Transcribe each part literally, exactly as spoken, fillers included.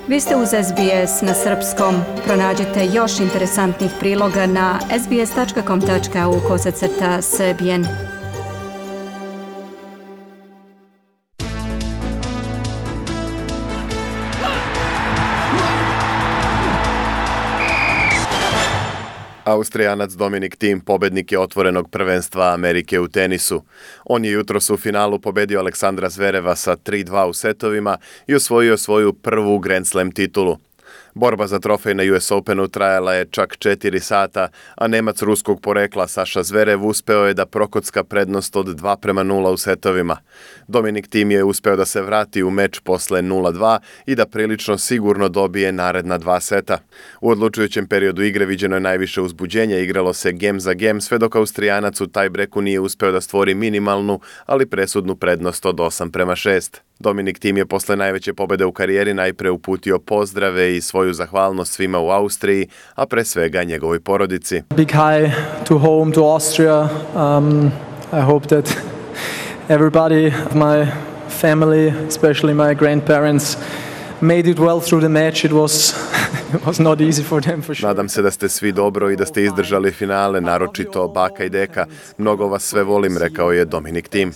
Vi ste uz S B S na srpskom. Pronađite još interesantnih priloga na sbs.com.au kosacrta srbijen. Austrijanac Dominic Thiem pobednik je otvorenog prvenstva Amerike u tenisu. On je jutros u finalu pobedio Aleksandra Zvereva sa tri dva u setovima i osvojio svoju prvu Grand Slam titulu. Borba za trofej na U S Openu trajala je čak četiri sata, a Nemac ruskog porekla Saša Zverev uspeo je da prokocka prednost od dva prema nula u setovima. Dominic Thiem je uspeo da se vrati u meč posle nula dva i da prilično sigurno dobije naredna dva seta. U odlučujućem periodu igre viđeno je najviše uzbuđenja, igralo se gem za gem, sve dok Austrijanac u tajbreku nije uspeo da stvori minimalnu, ali presudnu prednost od osam prema šest. Dominic Thiem je posle najveće pobede u karijeri najpre uputio pozdrave i svoju zahvalnost svima u Austriji, a pre svega njegovoj porodici. Big hi to home, to Austria. Um, I hope that everybody, my family, especially my grandparents, made it well through the match. It was it was not easy for them for sure. Nadam se da ste svi dobro i da ste izdržali finale, naročito baka i deka. Mnogo vas sve volim, rekao je Dominic Thiem.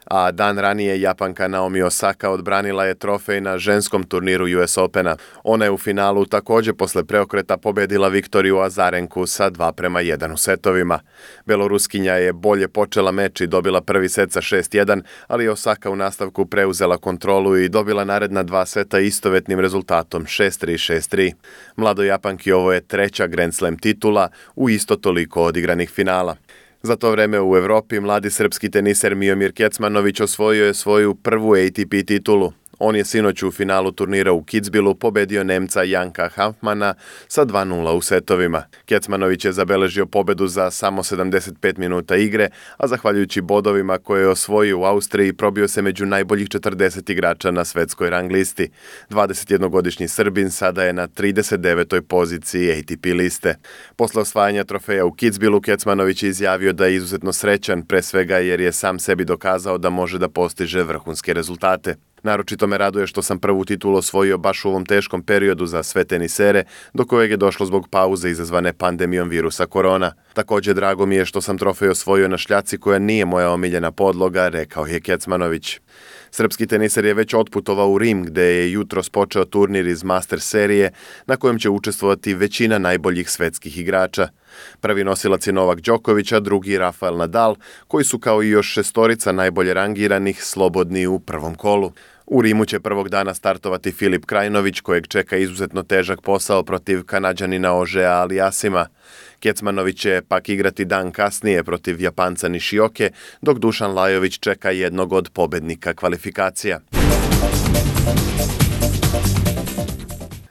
A dan ranije Japanka Naomi Osaka odbranila je trofej na ženskom turniru U S Opena. Ona je u finalu također posle preokreta pobedila Viktoriju Azarenku sa dva prema jedan u setovima. Beloruskinja je bolje počela meč i dobila prvi set sa šest jedan, ali je Osaka u nastavku preuzela kontrolu i dobila naredna dva seta istovetnim rezultatom šest tri šest tri. Mladoj Japanki ovo je treća Grand Slam titula u isto toliko odigranih finala. Za to vreme u Evropi mladi srpski teniser Miomir Kecmanović osvojio je svoju prvu A T P titulu. On je sinoć u finalu turnira u Kitzbühelu pobedio Nemca Janka Hanfmana sa dva nula u setovima. Kecmanović je zabeležio pobedu za samo sedamdeset pet minuta igre, a zahvaljujući bodovima koje je osvojio u Austriji probio se među najboljih četrdeset igrača na svetskoj rang listi. dvadesetjednogodišnji Srbin sada je na trideset devetoj poziciji A T P liste. Posle osvajanja trofeja u Kitzbühelu Kecmanović je izjavio da je izuzetno srećan, pre svega jer je sam sebi dokazao da može da postiže vrhunske rezultate. Naročito me raduje što sam prvu titulu osvojio baš u ovom teškom periodu za sve tenisere, do kojeg je došlo zbog pauze izazvane pandemijom virusa korona. Također drago mi je što sam trofej osvojio na šljaci koja nije moja omiljena podloga, rekao je Kecmanović. Srpski teniser je već otputovao u Rim, gde je jutros počeo turnir iz Master serije, na kojem će učestvovati većina najboljih svetskih igrača. Prvi nosilac je Novak Đoković, a drugi Rafael Nadal, koji su kao i još šestorica najbolje rangiranih slobodni u prvom kolu. U Rimu će prvog dana startovati Filip Krajinović, kojeg čeka izuzetno težak posao protiv Kanađanina Ožea Aliasima. Kecmanović će pak igrati dan kasnije protiv Japanca Nishioke, dok Dušan Lajović čeka jednog od pobednika kvalifikacija.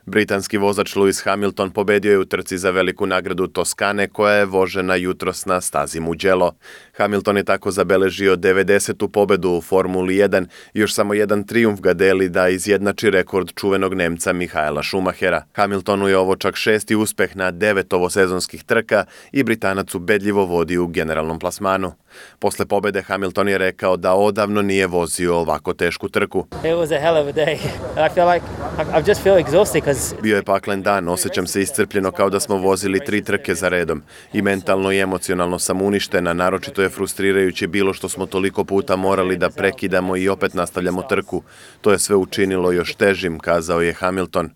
Britanski vozač Lewis Hamilton pobedio je u trci za veliku nagradu Toskane koja je vožena jutros na stazi Mugello. Hamilton je tako zabeležio devedesetu pobedu u Formuli jedan i još samo jedan trijumf ga deli da izjednači rekord čuvenog Nemca Michaela Schumachera. Hamiltonu je ovo čak šesti uspeh na devet ovosezonskih trka i Britanac ubedljivo vodi u generalnom plasmanu. Posle pobede Hamilton je rekao da odavno nije vozio ovako tešku trku. It was a hell of a day. I feel like I just feel exhausted because Bio je paklen dan, osjećam se iscrpljeno kao da smo vozili tri trke za redom. I mentalno i emocionalno sam uništena, naročito je frustrirajuće bilo što smo toliko puta morali da prekidamo i opet nastavljamo trku. To je sve učinilo još težim, kazao je Hamilton.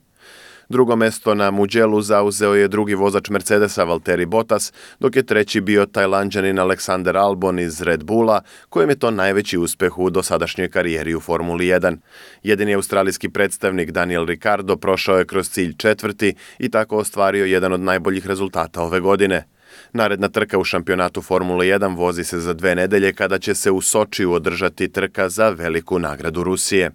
Drugo mesto na Mugellu zauzeo je drugi vozač Mercedesa Valtteri Bottas, dok je treći bio Tajlanđanin Alexander Albon iz Red Bulla, kojem je to najveći uspeh u dosadašnjoj karijeri u Formuli jedan. Jedini australijski predstavnik Daniel Ricciardo prošao je kroz cilj četvrti i tako ostvario jedan od najboljih rezultata ove godine. Naredna trka u šampionatu Formule jedan vozi se za dve nedelje kada će se u Sočiju održati trka za veliku nagradu Rusije.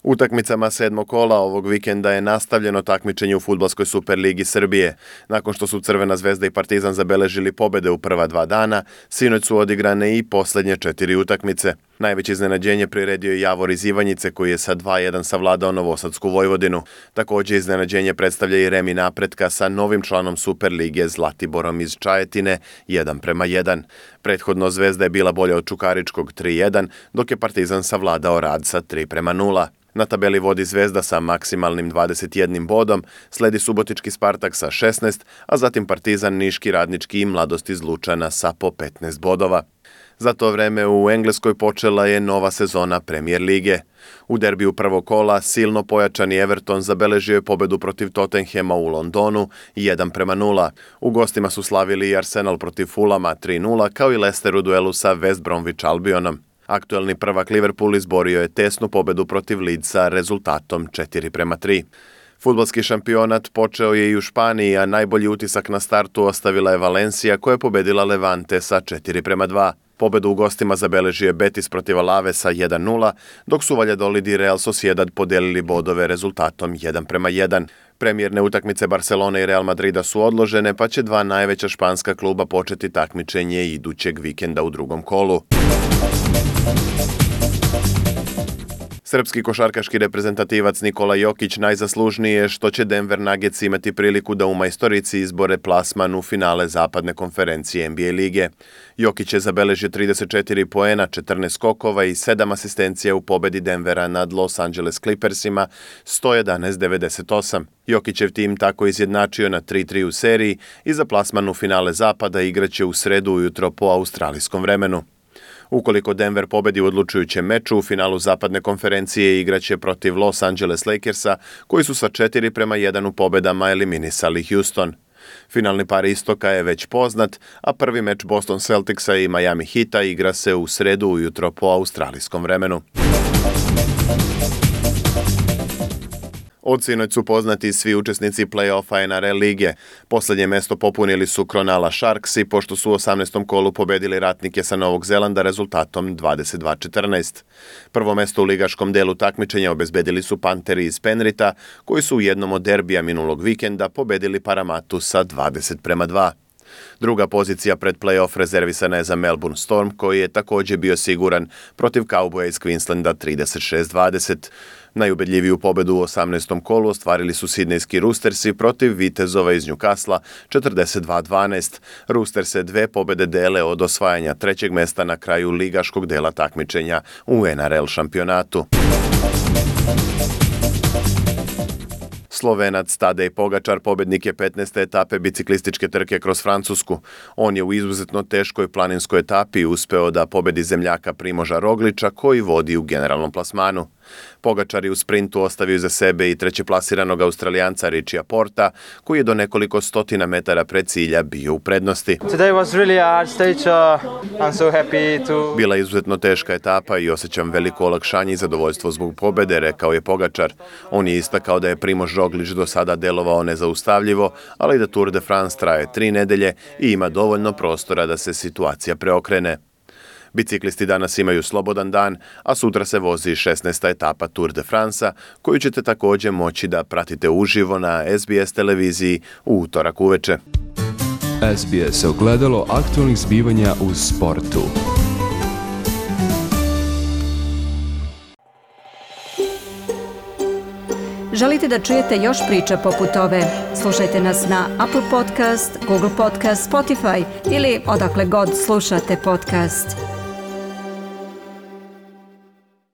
Utakmicama sedmog kola ovog vikenda je nastavljeno takmičenje u Fudbalskoj superligi Srbije. Nakon što su Crvena zvezda i Partizan zabeležili pobede u prva dva dana, sinoć su odigrane i posljednje četiri utakmice. Najveće iznenađenje priredio je Javor iz Ivanjice koji je sa dva jedan savladao Novosadsku Vojvodinu. Također iznenađenje predstavlja i remi Napretka sa novim članom Superlige Zlatiborom iz Čajetine jedan prema jedan. Prethodno Zvezda je bila bolja od Čukaričkog tri jedan, dok je Partizan savladao Rad sa tri prema nula. Na tabeli vodi Zvezda sa maksimalnim dvadeset jednim bodom, sledi Subotički Spartak sa šesnaest, a zatim Partizan, Niški, Radnički i Mladost iz Lučana sa po petnaest bodova. Za to vreme u Engleskoj počela je nova sezona Premier lige. U derbiju prvog kola silno pojačani Everton zabeležio je pobedu protiv Tottenhema u Londonu jedan prema nula. U gostima su slavili i Arsenal protiv Fulama tri nula, kao i Leicester u duelu sa West Bromwich Albionom. Aktuelni prvak Liverpool izborio je tesnu pobedu protiv Leedsa rezultatom četiri prema tri. Fudbalski šampionat počeo je i u Španiji, a najbolji utisak na startu ostavila je Valencia koja je pobedila Levante sa četiri prema dva. Pobedu u gostima zabeležio je Betis protiv Alavesa jedan nula, dok su Valladolid i Real Sociedad podelili bodove rezultatom jedan prema jedan. Premijerne utakmice Barcelone i Real Madrida su odložene, pa će dva najveća španska kluba početi takmičenje idućeg vikenda u drugom kolu. Srpski košarkaški reprezentativac Nikola Jokić najzaslužniji je što će Denver Nuggets imati priliku da u majstorici izbore plasman u finale zapadne konferencije N B A lige. Jokić je zabeležio trideset četiri poena, četrnaest skokova i sedam asistencija u pobedi Denvera nad Los Angeles Clippersima sto jedanaest devedeset osam. Jokićev tim tako izjednačio na tri tri u seriji i za plasman u finale zapada igraće u sredu ujutro po australijskom vremenu. Ukoliko Denver pobedi u odlučujućem meču, u finalu zapadne konferencije igraće protiv Los Angeles Lakersa, koji su sa četiri prema jedan u pobedama eliminisali Houston. Finalni par istoka je već poznat, a prvi meč Boston Celticsa i Miami Heata igra se u sredu ujutro po australijskom vremenu. Od sinoć su poznati svi učesnici play-offa N R L lige. Poslednje mesto popunili su Cronulla Sharksi, pošto su u osamnaestom kolu pobedili Ratnike sa Novog Zelanda rezultatom dvadeset dva četrnaest. Prvo mesto u ligaškom delu takmičenja obezbedili su Panteri iz Penrita, koji su u jednom od derbija minulog vikenda pobedili Paramatu sa dvadeset prema dva. Druga pozicija pred play-off rezervisana je za Melbourne Storm, koji je također bio siguran protiv Cowboya iz Queenslanda trideset šest dvadeset. Najubedljiviju pobedu u osamnaestom kolu ostvarili su Sidnejski Roostersi protiv Vitezova iz Newcasla četrdeset dva dvanaest. Roosterse dve pobede dele od osvajanja trećeg mesta na kraju ligaškog dela takmičenja u N R L šampionatu. Slovenac Tadej Pogačar pobednik je petnaeste etape biciklističke trke kroz Francusku. On je u izuzetno teškoj planinskoj etapi uspeo da pobedi zemljaka Primoža Rogliča koji vodi u generalnom plasmanu. Pogačar je u sprintu ostavio iza sebe i trećeplasiranog Australijanca Richija Porta, koji je do nekoliko stotina metara pred cilja bio u prednosti. Today was really a hard stage. Uh, I'm so happy to... Bila je izuzetno teška etapa i osjećam veliko olakšanje i zadovoljstvo zbog pobede, rekao je Pogačar. On je istakao da je Primož Roglič do sada delovao nezaustavljivo, ali da Tour de France traje tri nedelje i ima dovoljno prostora da se situacija preokrene. Biciklisti danas imaju slobodan dan, a sutra se vozi šesnaesta etapa Tour de France-a, koju ćete također moći da pratite uživo na S B S televiziji u utorak uveče. S B S ogledalo aktualnih zbivanja u sportu. Želite da čujete još priča poput ove? Slušajte nas na Apple Podcast, Google Podcast, Spotify ili odakle god slušate podcast.